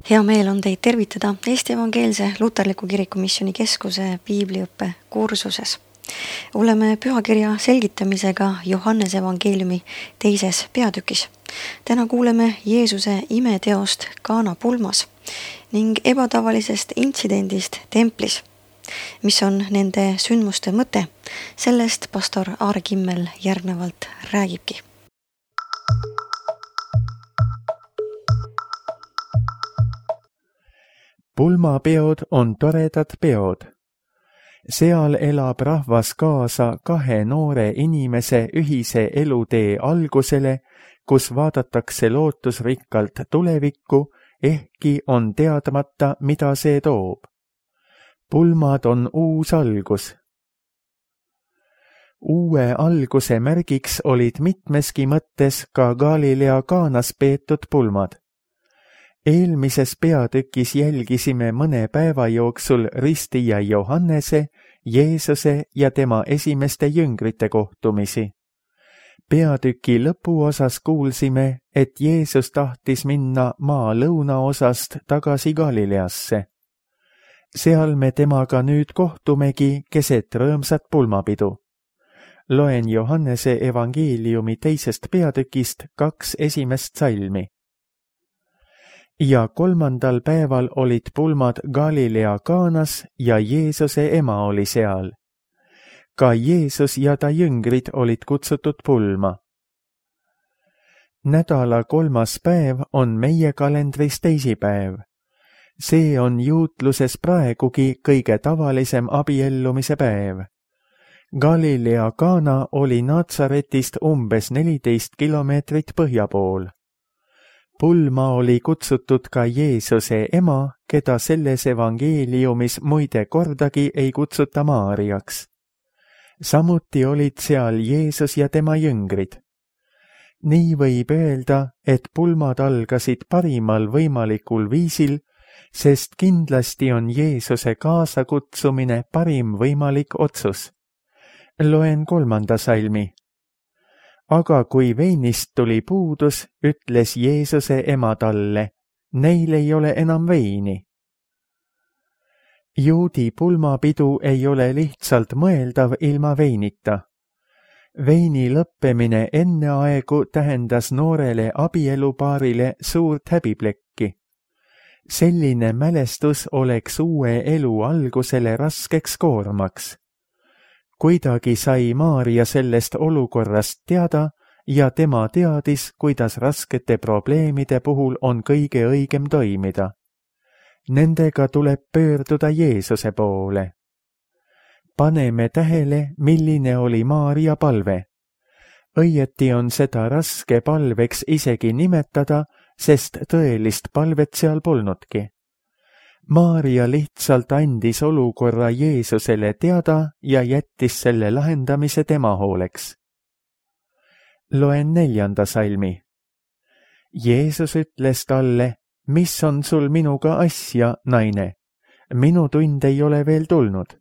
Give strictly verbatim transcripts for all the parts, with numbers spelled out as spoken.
Hea meel on teid tervitada Eesti Evangeelse Luterliku Kirikumisjoni Keskuse piibliõppe kursuses. Oleme pühakirja selgitamisega Johannese evangeeliumi teises peatükis. Täna kuuleme Jeesuse imeteost Kaana pulmas ning ebatavalisest intsidendist templis. Mis on nende sündmuste mõte? Sellest pastor Aare Kimmel järgnevalt räägibki. Pulmapeod on toredad peod. Seal elab rahvas kaasa kahe noore inimese ühise elutee algusele, kus vaadatakse lootusrikkalt tulevikku, ehkki on teadmata, mida see toob. Pulmad on uus algus. Uue alguse märgiks olid mitmeski mõttes ka Galilea Kaanas peetud pulmad. Eelmises peatükis jälgisime mõne päeva jooksul ristija Johannese, Jeesuse ja tema esimeste jüngrite kohtumisi. Peatüki lõpuosas kuulsime, et Jeesus tahtis minna maa lõunaosast tagasi Galileasse. Seal me temaga nüüd kohtumegi keset rõõmsat pulmapidu. Loen Johannese evangeeliumi teisest peatükist kaks esimest salmi. Ja kolmandal päeval olid pulmad Galilea Kaanas ja Jeesuse ema oli seal. Ka Jeesus ja ta jüngrid olid kutsutud pulma. Nädala kolmas päev on meie kalendris teisipäev. See on juutluses praegugi kõige tavalisem abiellumise päev. Galilea Kaana oli Natsaretist umbes neliteist kilomeetrit põhja pool. Pulma oli kutsutud ka Jeesuse ema, keda selles evangeeliumis muide kordagi ei kutsuta Maariaks. Samuti olid seal Jeesus ja tema jüngrid. Nii võib öelda, et pulmad algasid parimal võimalikul viisil, sest kindlasti on Jeesuse kaasakutsumine parim võimalik otsus. Loen kolmanda salmi. Aga kui veinist tuli puudus, ütles Jeesuse ema talle, neil ei ole enam veini. Juudi pulmapidu ei ole lihtsalt mõeldav ilma veinita. Veini lõppemine enne aegu tähendas noorele abielupaarile suurt häbiplekki. Selline mälestus oleks uue elu algusele raskeks koormaks. Kuidagi sai Maaria sellest olukorrast teada ja tema teadis, kuidas raskete probleemide puhul on kõige õigem toimida. Nendega tuleb pöörduda Jeesuse poole. Paneme tähele, milline oli Maaria palve. Õieti on seda raske palveks isegi nimetada, sest tõelist palvet seal polnudki. Maaria lihtsalt andis olukorra Jeesusele teada ja jättis selle lahendamise tema hooleks. Loen neljanda salmi. Jeesus ütles talle, mis on sul minuga asja, naine? Minu tund ei ole veel tulnud.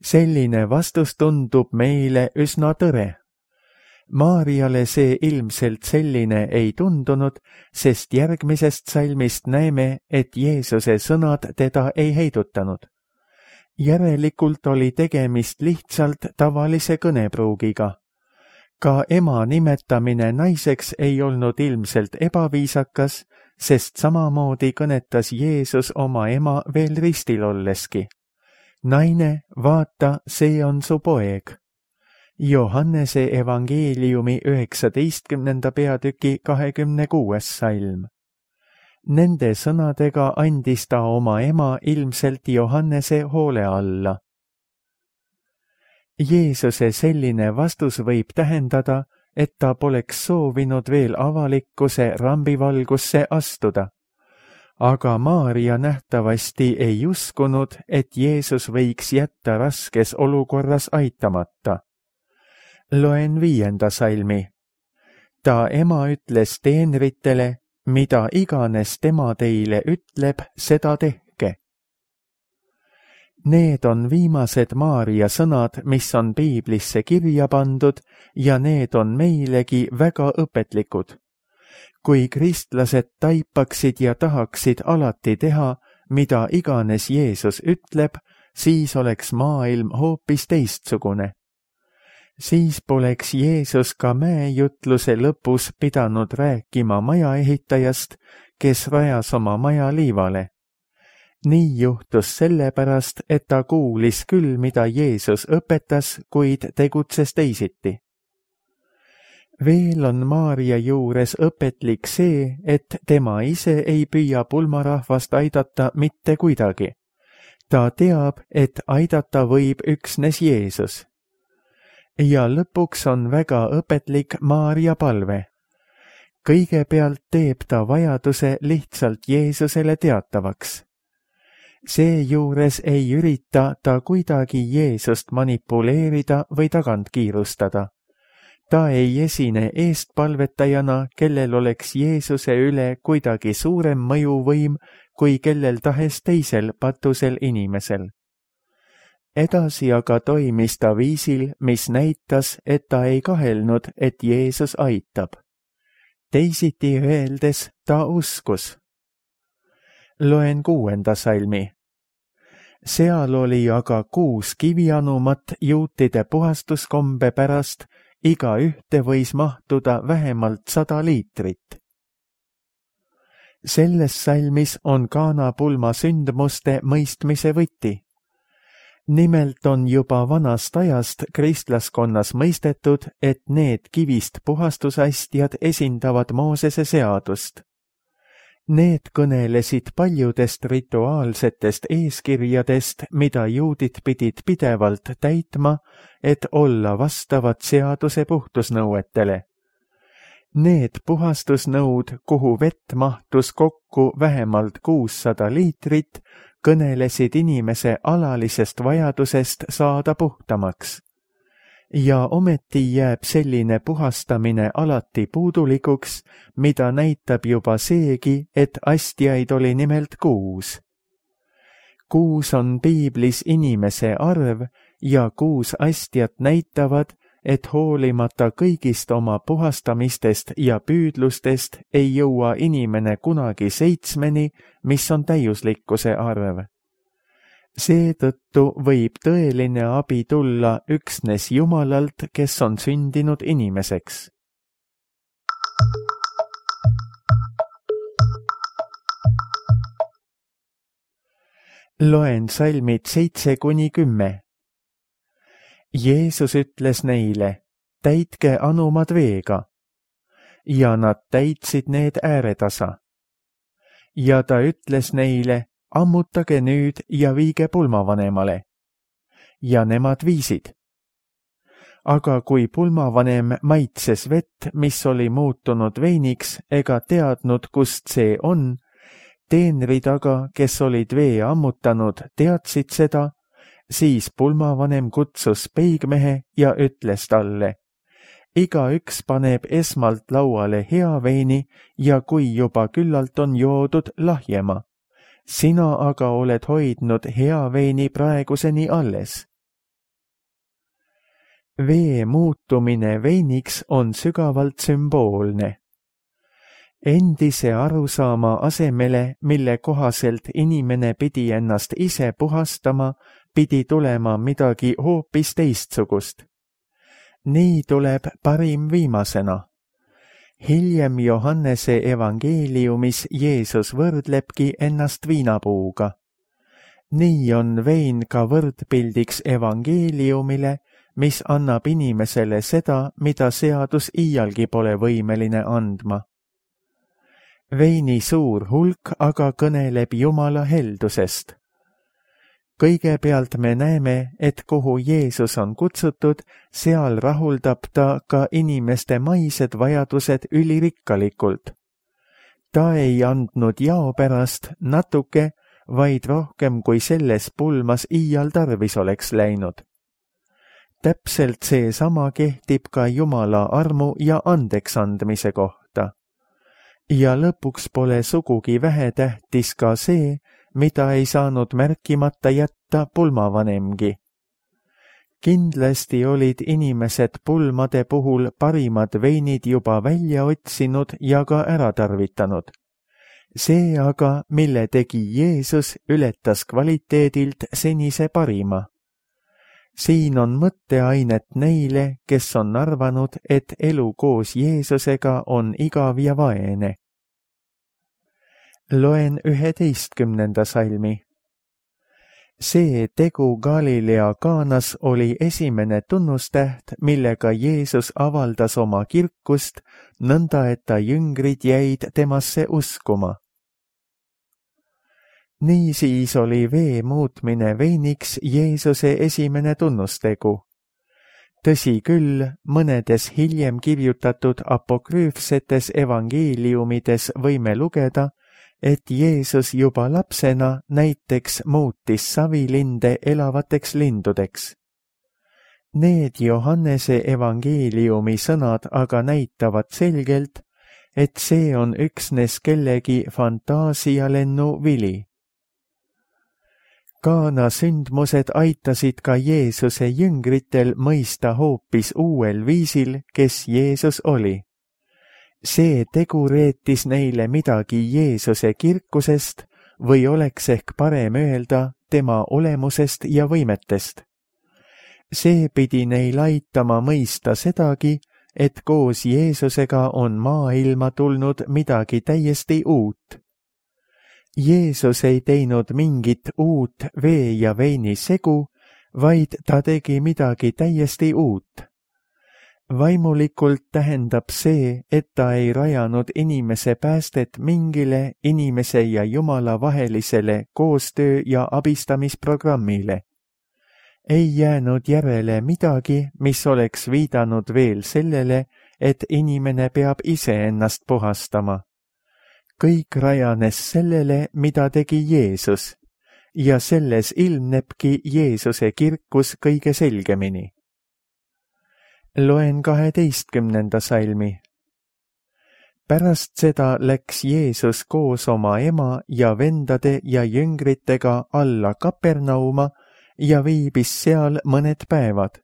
Selline vastus tundub meile üsna tõre. Maariale see ilmselt selline ei tundunud, sest järgmisest salmist näeme, et Jeesuse sõnad teda ei heidutanud. Järelikult oli tegemist lihtsalt tavalise kõnepruugiga. Ka ema nimetamine naiseks ei olnud ilmselt ebaviisakas, sest samamoodi kõnetas Jeesus oma ema veel ristil olleski. Naine, vaata, see on su poeg. Johannese evangeeliumi üheksateistkümnenda peatüki kahekümne kuues salm. Nende sõnadega andis ta oma ema ilmselt Johannese hoole alla. Jeesuse selline vastus võib tähendada, et ta poleks soovinud veel avalikkuse rambivalgusse astuda. Aga Maaria nähtavasti ei uskunud, et Jeesus võiks jätta raskes olukorras aitamata. Loen viienda salmi. Ta ema ütles teenritele, mida iganes tema teile ütleb, seda tehke. Need on viimased Maaria sõnad, mis on piiblisse kirja pandud ja need on meilegi väga õpetlikud. kui kristlased taipaksid ja tahaksid alati teha, mida iganes Jeesus ütleb, siis oleks maailm hoopis teistsugune. Siis poleks Jeesus ka mäejutluse lõpus pidanud rääkima majaehitajast, kes rajas oma maja liivale. Nii juhtus sellepärast, et ta kuulis küll, mida Jeesus õpetas, kuid tegutses teisiti. Veel on Maarja juures õpetlik see, et tema ise ei püüa pulmarahvast aidata mitte kuidagi. Ta teab, et aidata võib üksnes Jeesus. Ja lõpuks on väga õpetlik Maarja palve. Kõigepealt teeb ta vajaduse lihtsalt Jeesusele teatavaks. Seejuures ei ürita ta kuidagi Jeesust manipuleerida või tagant kiirustada. Ta ei esine eestpalvetajana, kellel oleks Jeesuse üle kuidagi suurem mõjuvõim kui kellel tahes teisel patusel inimesel. Edasi aga toimis ta viisil, mis näitas, et ta ei kahelnud, et Jeesus aitab. Teisiti öeldes ta uskus. Loen kuuenda salmi. Seal oli aga kuus kivianumat juutide puhastuskombe pärast, iga ühte võis mahtuda vähemalt sada liitrit. Selles salmis on Kaana pulma sündmuste mõistmise võti. Nimelt on juba vanast ajast kristlaskonnas mõistetud, et need kivist puhastusastjad esindavad Moosese seadust. Need kõnelesid paljudest rituaalsetest eeskirjadest, mida juudid pidid pidevalt täitma, et olla vastavad seaduse puhtusnõuetele. Need puhastusnõud, kuhu vett mahtus kokku vähemalt kuussada liitrit, kõnelesid inimese alalisest vajadusest saada puhtamaks. Ja ometi jääb selline puhastamine alati puudulikuks, mida näitab juba seegi, et astjaid oli nimelt kuus. Kuus on piiblis inimese arv ja kuus astjat näitavad, et hoolimata kõigist oma puhastamistest ja püüdlustest ei jõua inimene kunagi seitsmeni, mis on täiuslikkuse arv. Seetõttu võib tõeline abi tulla üksnes Jumalalt, kes on sündinud inimeseks. Loen salmid seitse kuni kümme. Jeesus ütles neile, täitke anumad veega. Ja nad täitsid need ääretasa. Ja ta ütles neile, ammutage nüüd ja viige pulmavanemale. Ja nemad viisid. Aga kui pulmavanem maitses vett, mis oli muutunud veiniks, ega teadnud, kust see on, teenrid aga, kes olid vee ammutanud, teadsid seda, siis pulmavanem kutsus peigmehe ja ütles talle, igaüks paneb esmalt lauale hea veini ja kui juba küllalt on joodud, lahjema. Sina aga oled hoidnud hea veini praeguseni alles. Vee muutumine veiniks on sügavalt sümboolne. Endise arusaama asemele, mille kohaselt inimene pidi ennast ise puhastama, pidi tulema midagi hoopis teistsugust. Nii tuleb parim viimasena. Hiljem Johannese evangeeliumis Jeesus võrdlebki ennast viinapuuga. Nii on vein ka võrdpildiks evangeeliumile, mis annab inimesele seda, mida seadus iialgi pole võimeline andma. Veini suur hulk aga kõneleb Jumala heldusest. Kõigepealt me näeme, et kuhu Jeesus on kutsutud, seal rahuldab ta ka inimeste maised vajadused ülirikkalikult. Ta ei andnud jao pärast natuke, vaid rohkem kui selles pulmas iial tarvis oleks läinud. Täpselt seesama kehtib ka Jumala armu ja andeksandmise kohta. Ja lõpuks pole sugugi vähetähtis ka see, mida ei saanud märkimata jätta pulmavanemgi. kindlasti olid inimesed pulmade puhul parimad veinid juba välja otsinud ja ka ära tarvitanud. See aga, mille tegi Jeesus, ületas kvaliteedilt senise parima. Siin on mõtteainet neile, kes on arvanud, et elu koos Jeesusega on igav ja vaene. Loen üheteistkümnenda salmi. See tegu Galilea Kaanas oli esimene tunnustäht, millega Jeesus avaldas oma kirkust, nõnda et ta jüngrid jäid temasse uskuma. Niisiis oli vee muutmine veiniks Jeesuse esimene tunnustegu. Tõsi küll, mõnedes hiljem kirjutatud apokrüüfsetes evangeeliumides võime lugeda, et Jeesus juba lapsena näiteks muutis savilinde elavateks lindudeks. Need Johannese evangeeliumi sõnad aga näitavad selgelt, et see on üksnes kellegi fantaasialennu vili. Kaana sündmused aitasid ka Jeesuse jüngritel mõista hoopis uuel viisil, kes Jeesus oli. See tegu reetis neile midagi Jeesuse kirkusest või oleks ehk parem öelda tema olemusest ja võimetest. See pidi neil aitama mõista sedagi, et koos Jeesusega on maailma tulnud midagi täiesti uut. Jeesus ei teinud mingit uut vee ja veini segu, vaid ta tegi midagi täiesti uut. Vaimulikult tähendab see, et ta ei rajanud inimese päästet mingile inimese ja Jumala vahelisele koostöö- ja abistamisprogrammile. Ei jäänud järele midagi, mis oleks viidanud veel sellele, et inimene peab iseennast puhastama. Kõik rajanes sellele, mida tegi Jeesus, ja selles ilmnebki Jeesuse kirkus kõige selgemini. Loen kaheteistkümnenda salmi. Pärast seda läks Jeesus koos oma ema ja vendade ja jüngritega alla Kapernauma ja viibis seal mõned päevad.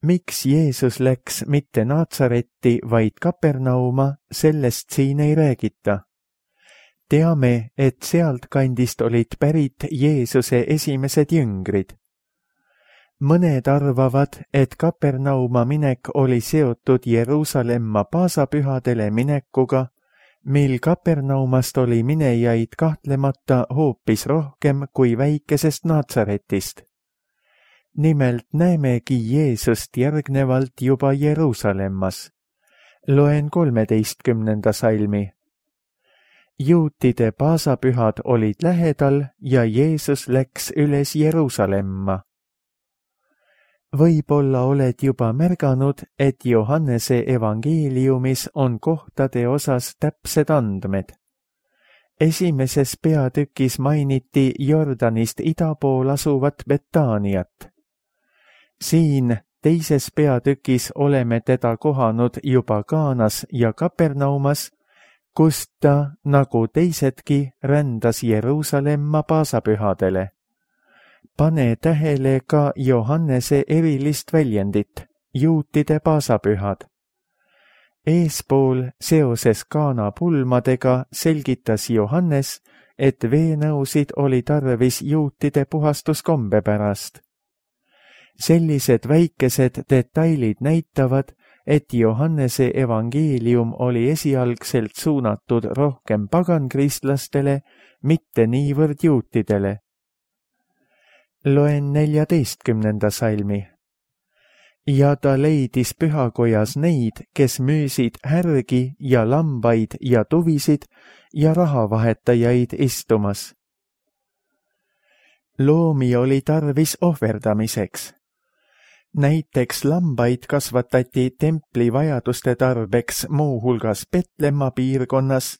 Miks Jeesus läks mitte Naatsaretti, vaid Kapernauma, sellest siin ei räägita. Teame, et sealt kandist olid pärit Jeesuse esimesed jüngrid. Mõned arvavad, et Kapernauma minek oli seotud Jeruusalemma paasapühadele minekuga, mil Kapernaumast oli minejaid kahtlemata hoopis rohkem kui väikesest Naatsaretist. Nimelt näemegi Jeesust järgnevalt juba Jeruusalemmas. Loen kolmeteistkümnenda salmi. Juutide paasapühad olid lähedal ja Jeesus läks üles Jeruusalemma. Võib-olla oled juba märganud, et Johannese evangeeliumis on kohtade osas täpsed andmed. Esimeses peatükis mainiti Jordanist ida pool asuvat Betaaniat. Siin teises peatükis oleme teda kohanud juba Kaanas ja Kapernaumas, kust ta, nagu teisedki, rändas Jeruusalemma paasapühadele. Pane tähele ka Johannese erilist väljendit, juutide paasapühad. Eespool seoses Kaana pulmadega selgitas Johannes, et veenõusid oli tarvis juutide puhastuskombe pärast. Sellised väikesed detailid näitavad, et Johannese evangeelium oli esialgselt suunatud rohkem pagankristlastele, mitte niivõrd juutidele. Loen neljateistkümnenda salmi. Ja ta leidis pühakojas neid, kes müüsid härgi ja lambaid ja tuvisid ja rahavahetajaid istumas. Loomi oli tarvis ohverdamiseks. Näiteks lambaid kasvatati templi vajaduste tarbeks muuhulgas Petlemma piirkonnas,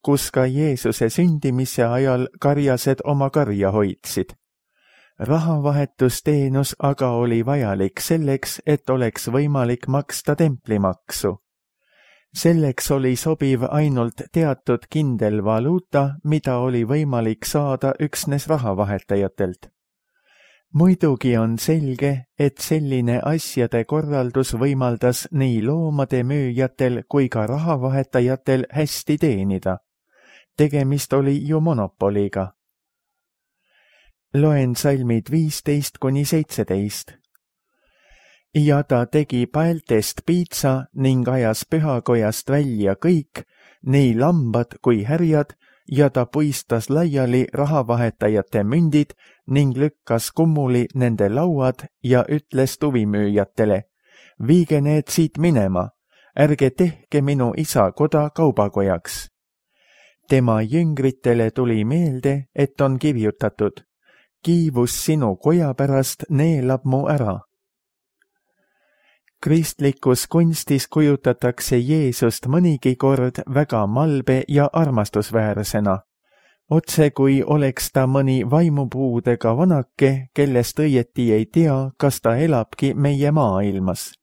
kus ka Jeesuse sündimise ajal karjased oma karja hoidsid. Rahavahetusteenus aga oli vajalik selleks, et oleks võimalik maksta templimaksu. Selleks oli sobiv ainult teatud kindel valuuta, mida oli võimalik saada üksnes rahavahetajatelt. muidugi on selge, et selline asjade korraldus võimaldas nii loomade müüjatel kui ka rahavahetajatel hästi teenida. Tegemist oli ju monopoliga. Loen salmid viisteist kuni seitseteist. Ja ta tegi paeltest piitsa ning ajas pühakojast välja kõik, nii lambad kui härjad, ja ta puistas laiali rahavahetajate mündid ning lükkas kummuli nende lauad ja ütles tuvimüüjatele, viige need siit minema, ärge tehke minu isa koda kaubakojaks. Tema jüngritele tuli meelde, et on kirjutatud, kiivus sinu koja pärast neelab mu ära. Kristlikus kunstis kujutatakse Jeesust mõnigi kord väga malbe ja armastusväärsena, otse kui oleks ta mõni vaimupuudega vanake, kellest õieti ei tea, kas ta elabki meie maailmas.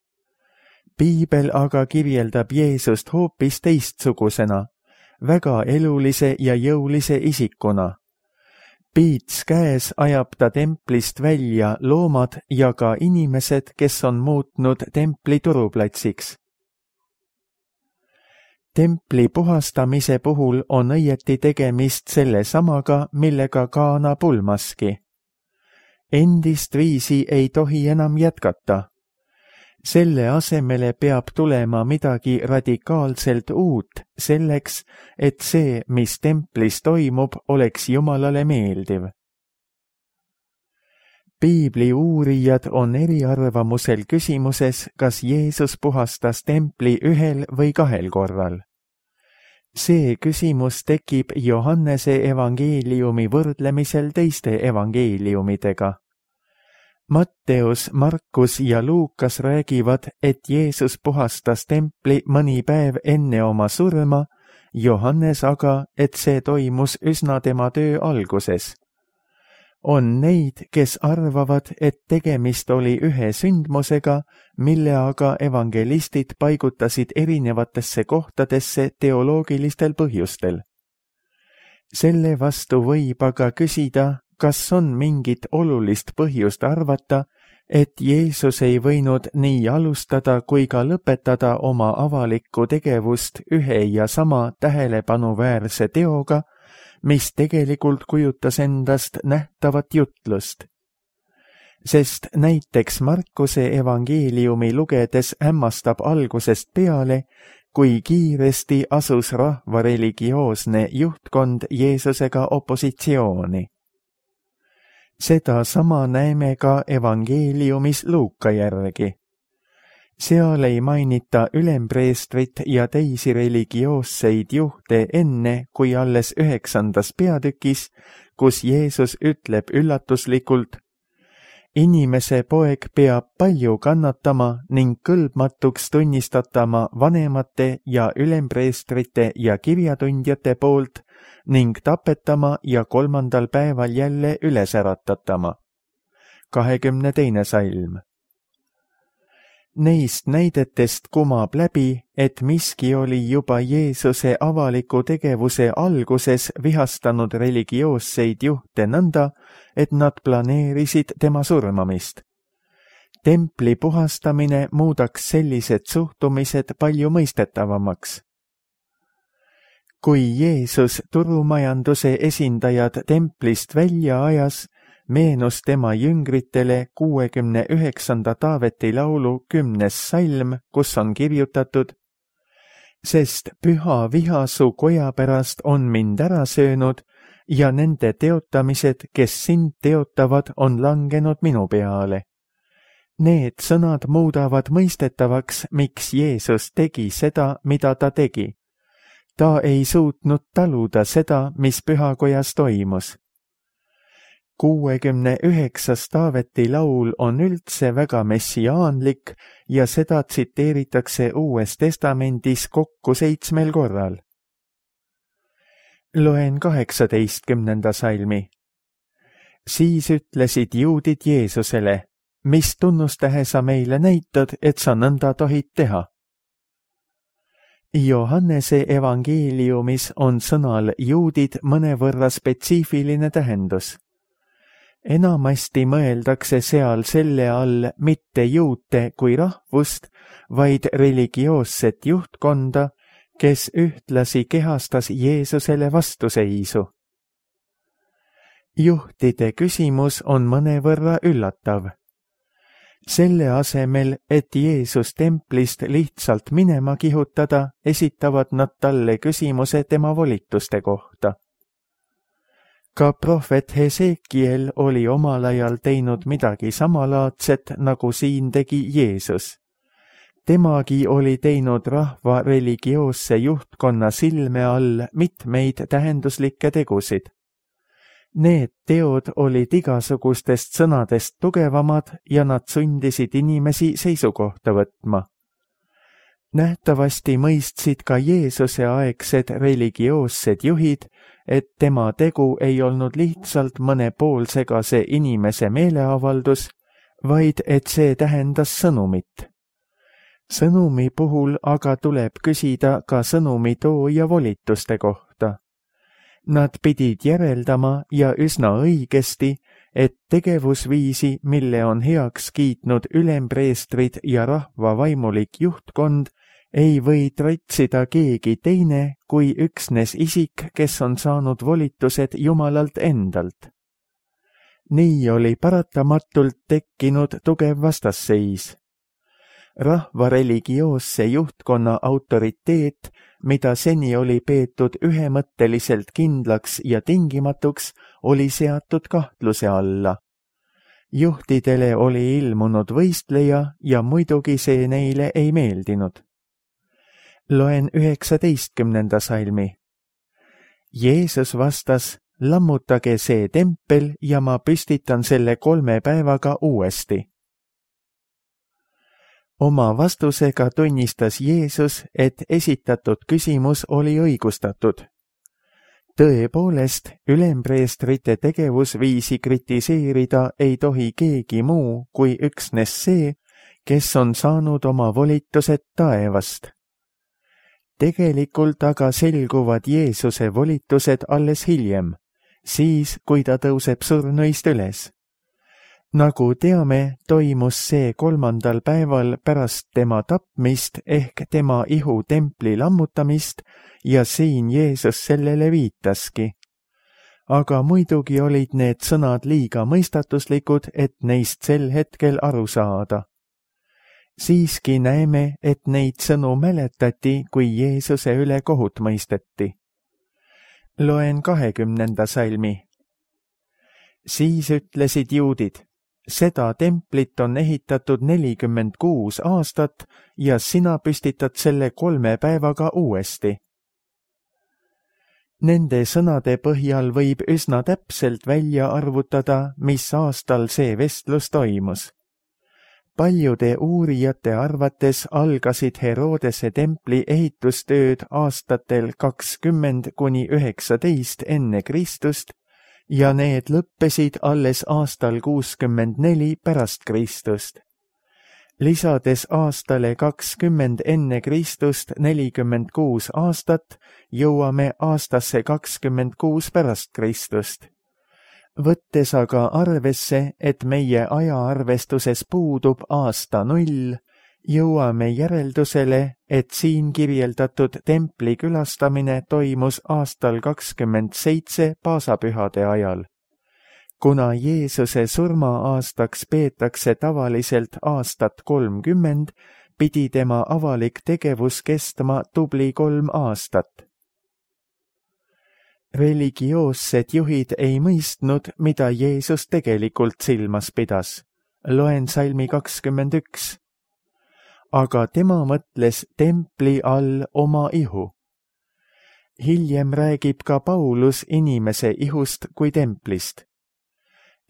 Piibel aga kirjeldab Jeesust hoopis teistsugusena, väga elulise ja jõulise isikuna. Piits käes ajab ta templist välja loomad ja ka inimesed, kes on muutnud templi turuplatsiks. Templi puhastamise puhul on õieti tegemist selle samaga, millega Kaana pulmaski. Endist viisi ei tohi enam jätkata. Selle asemele peab tulema midagi radikaalselt uut selleks, et see, mis templis toimub, oleks Jumalale meeldiv. Piibli uurijad on eriarvamusel küsimuses, kas Jeesus puhastas templi ühel või kahel korral. See küsimus tekib Johannese evangeeliumi võrdlemisel teiste evangeeliumidega. Matteus, Markus ja Luukas räägivad, et Jeesus puhastas templi mõni päev enne oma surma, Johannes aga, et see toimus üsna tema töö alguses. On neid, kes arvavad, et tegemist oli ühe sündmusega, mille aga evangelistid paigutasid erinevatesse kohtadesse teoloogilistel põhjustel. Selle vastu võib aga küsida, kas on mingit olulist põhjust arvata, et Jeesus ei võinud nii alustada kui ka lõpetada oma avalikku tegevust ühe ja sama tähelepanuväärse teoga, mis tegelikult kujutas endast nähtavat jutlust. Sest näiteks Markuse evangeeliumi lugedes hämmastab algusest peale, kui kiiresti asus rahva religioosne juhtkond Jeesusega opositsiooni. Seda sama näeme ka evangeeliumis Luuka järgi. Seal ei mainita ülempreestrit ja teisi religioosseid juhte enne, kui alles üheksandas peatükis, kus Jeesus ütleb üllatuslikult, inimese poeg peab palju kannatama ning kõlbmatuks tunnistatama vanemate ja ülempreestrite ja kirjatundjate poolt ning tapetama ja kolmandal päeval jälle üles äratatama. kahekümne teine salm. Neist näidetest kumab läbi, et miski oli juba Jeesuse avaliku tegevuse alguses vihastanud religioosseid juhte nõnda, et nad planeerisid tema surmamist. Templi puhastamine muudaks sellised suhtumised palju mõistetavamaks. Kui Jeesus turumajanduse esindajad templist välja ajas, meenus tema jüngritele kuuekümne üheksanda Taaveti laulu kümnes salm, kus on kirjutatud, sest püha viha su koja pärast on mind ära söönud ja nende teotamised, kes sind teotavad, on langenud minu peale. Need sõnad muudavad mõistetavaks, miks Jeesus tegi seda, mida ta tegi. Ta ei suutnud taluda seda, mis pühakojas toimus. kuuekümne üheksas Taaveti laul on üldse väga messiaanlik ja seda tsiteeritakse Uues Testamendis kokku seitsmel korral. Loen kaheksateistkümnenda salmi. Siis ütlesid juudid Jeesusele, mis tunnustähe sa meile näitad, et sa nõnda tohid teha? Johannese evangeeliumis on sõnal juudid mõnevõrra spetsiifiline tähendus. enamasti mõeldakse seal selle all mitte juute kui rahvust, vaid religioosset juhtkonda, kes ühtlasi kehastas Jeesusele vastuseisu. Juhtide küsimus on mõnevõrra üllatav. Selle asemel, et Jeesus templist lihtsalt minema kihutada, esitavad nad talle küsimuse tema volituste kohta. Ka prohvet Hesekiel oli omal ajal teinud midagi samalaadset, nagu siin tegi Jeesus. Temagi oli teinud rahva religioosse juhtkonna silme all mitmeid tähenduslikke tegusid. Need teod olid igasugustest sõnadest tugevamad ja nad sundisid inimesi seisukohta võtma. Nähtavasti mõistsid ka Jeesuse aegsed religioossed juhid, et tema tegu ei olnud lihtsalt mõne poolsegase inimese meeleavaldus, vaid et see tähendas sõnumit. Sõnumi puhul aga tuleb küsida ka sõnumi tooja volituste kohta. Nad pidid järeldama ja üsna õigesti, et tegevusviisi, mille on heaks kiitnud ülempreestrid ja rahva vaimulik juhtkond, ei või trotsida keegi teine kui üksnes isik, kes on saanud volitused Jumalalt endalt. Nii oli paratamatult tekkinud tugev vastasseis. Rahva religioosse juhtkonna autoriteet, mida seni oli peetud ühemõtteliselt kindlaks ja tingimatuks, oli seatud kahtluse alla. Juhtidele oli ilmunud võistleja ja muidugi see neile ei meeldinud. Loen üheksateistkümnenda salmi. Jeesus vastas, lammutage see tempel ja ma püstitan selle kolme päevaga uuesti. Oma vastusega tunnistas Jeesus, et esitatud küsimus oli õigustatud. Tõepoolest, ülempreestrite tegevusviisi kritiseerida ei tohi keegi muu kui üksnes see, kes on saanud oma volitused taevast. Tegelikult aga selguvad Jeesuse volitused alles hiljem, siis kui ta tõuseb surnuist üles. Nagu teame, toimus see kolmandal päeval pärast tema tapmist ehk tema ihu templi lammutamist ja siin Jeesus sellele viitaski. Aga muidugi olid need sõnad liiga mõistatuslikud, et neist sel hetkel aru saada. Siiski näeme, et neid sõnu mäletati, kui Jeesuse üle kohut mõisteti. Loen kahekümnenda salmi. Siis ütlesid juudid, seda templit on ehitatud nelikümmend kuus aastat ja sina püstitad selle kolme päevaga uuesti. Nende sõnade põhjal võib üsna täpselt välja arvutada, mis aastal see vestlus toimus. Paljude uurijate arvates algasid Herodese templi ehitustööd aastatel kakskümmend kuni üheksateist enne Kristust ja need lõppesid alles aastal kuuskümmend neli pärast Kristust. Lisades aastale kakskümmend enne Kristust nelikümmend kuus aastat, jõuame aastasse kakskümmend kuus pärast Kristust. Võttes aga arvesse, et meie ajaarvestuses puudub aasta null, jõuame järeldusele, et siin kirjeldatud templi külastamine toimus aastal kakskümmend seitse paasapühade ajal. Kuna Jeesuse surma-aastaks peetakse tavaliselt aastat kolmkümmend, pidi tema avalik tegevus kestma tubli kolm aastat. Religioossed juhid ei mõistnud, mida Jeesus tegelikult silmas pidas. Loen salmi kakskümmend üks. Aga tema mõtles templi all oma ihu. Hiljem räägib ka Paulus inimese ihust kui templist.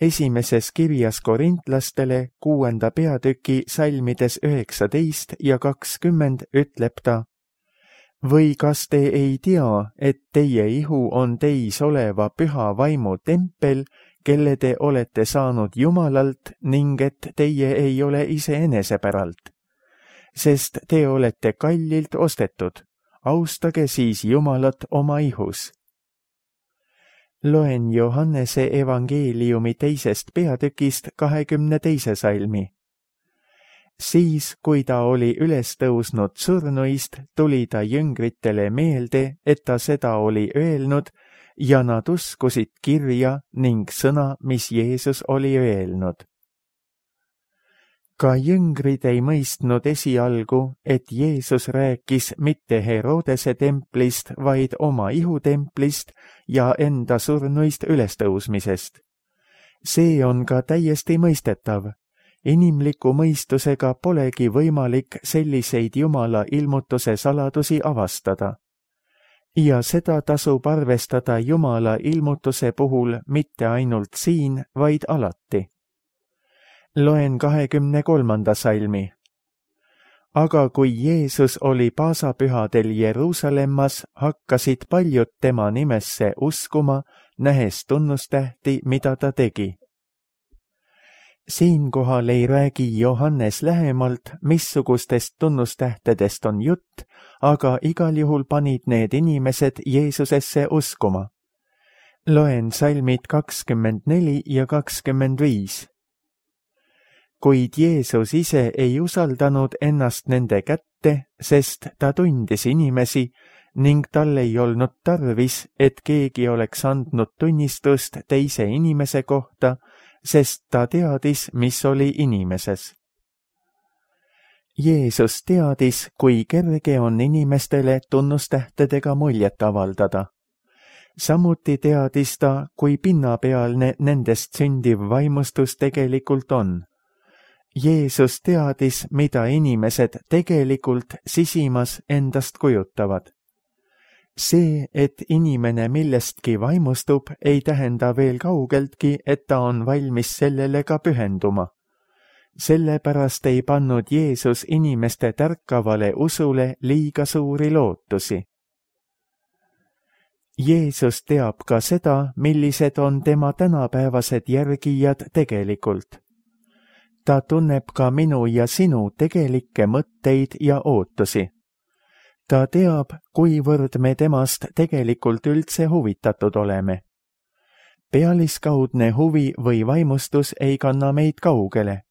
Esimeses kirjas korintlastele kuuenda peatüki salmides üheksateist ja kakskümmend ütleb ta, või kas te ei tea, et teie ihu on teis oleva püha vaimu tempel, kelle te olete saanud Jumalalt ning et teie ei ole iseenese päralt? Sest te olete kallilt ostetud, austage siis Jumalat oma ihus. Loen Johannese evangeeliumi teisest peatükist kahekümne teise salmi. Siis, kui ta oli üles tõusnud surnuist, tuli ta jüngritele meelde, et ta seda oli öelnud, ja nad uskusid kirja ning sõna, mis Jeesus oli öelnud. Ka jüngrid ei mõistnud esialgu, et Jeesus rääkis mitte Herodese templist, vaid oma ihutemplist ja enda surnuist ülestõusmisest. See on ka täiesti mõistetav. Inimliku mõistusega polegi võimalik selliseid Jumala ilmutuse saladusi avastada. Ja seda tasub arvestada Jumala ilmutuse puhul mitte ainult siin, vaid alati. Loen kahekümne kolmanda salmi. Aga kui Jeesus oli paasapühadel Jeruusalemmas, hakkasid paljud tema nimesse uskuma, nähes tunnustähti, mida ta tegi. Siinkohal ei räägi Johannes lähemalt, missugustest tunnustähtedest on jutt, aga igal juhul panid need inimesed Jeesusesse uskuma. Loen salmid kakskümmend neli ja kakskümmend viis. Kuid Jeesus ise ei usaldanud ennast nende kätte, sest ta tundis inimesi ning tal ei olnud tarvis, et keegi oleks andnud tunnistust teise inimese kohta, sest ta teadis, mis oli inimeses. Jeesus teadis, kui kerge on inimestele tunnustähtedega muljet avaldada. Samuti teadis ta, kui pinnapealne nendest sündiv vaimustus tegelikult on. Jeesus teadis, mida inimesed tegelikult sisimas endast kujutavad. See, et inimene millestki vaimustub, ei tähenda veel kaugeltki, et ta on valmis sellele ka pühenduma. Sellepärast ei pannud Jeesus inimeste tärkavale usule liiga suuri lootusi. Jeesus teab ka seda, millised on tema tänapäevased järgijad tegelikult. Ta tunneb ka minu ja sinu tegelikke mõtteid ja ootusi. Ta teab, kuivõrd me temast tegelikult üldse huvitatud oleme. Pealiskaudne huvi või vaimustus ei kanna meid kaugele.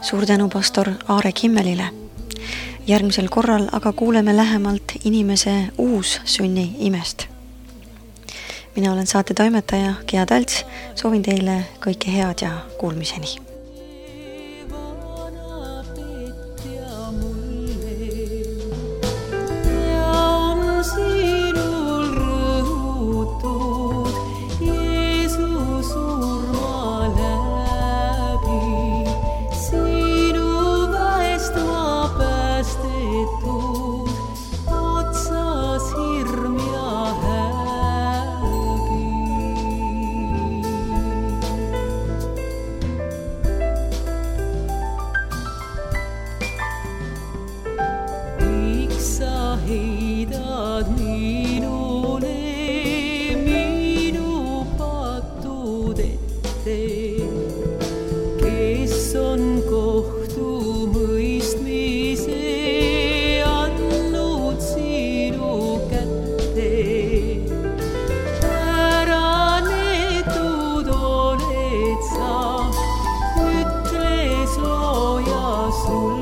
Suur tänu pastor Aare Kimmelile. Järgmisel korral aga kuuleme lähemalt inimese uussünni imest. Mina olen saate toimetaja Gea Talts, soovin teile kõike head ja kuulmiseni. Ütle sooja sul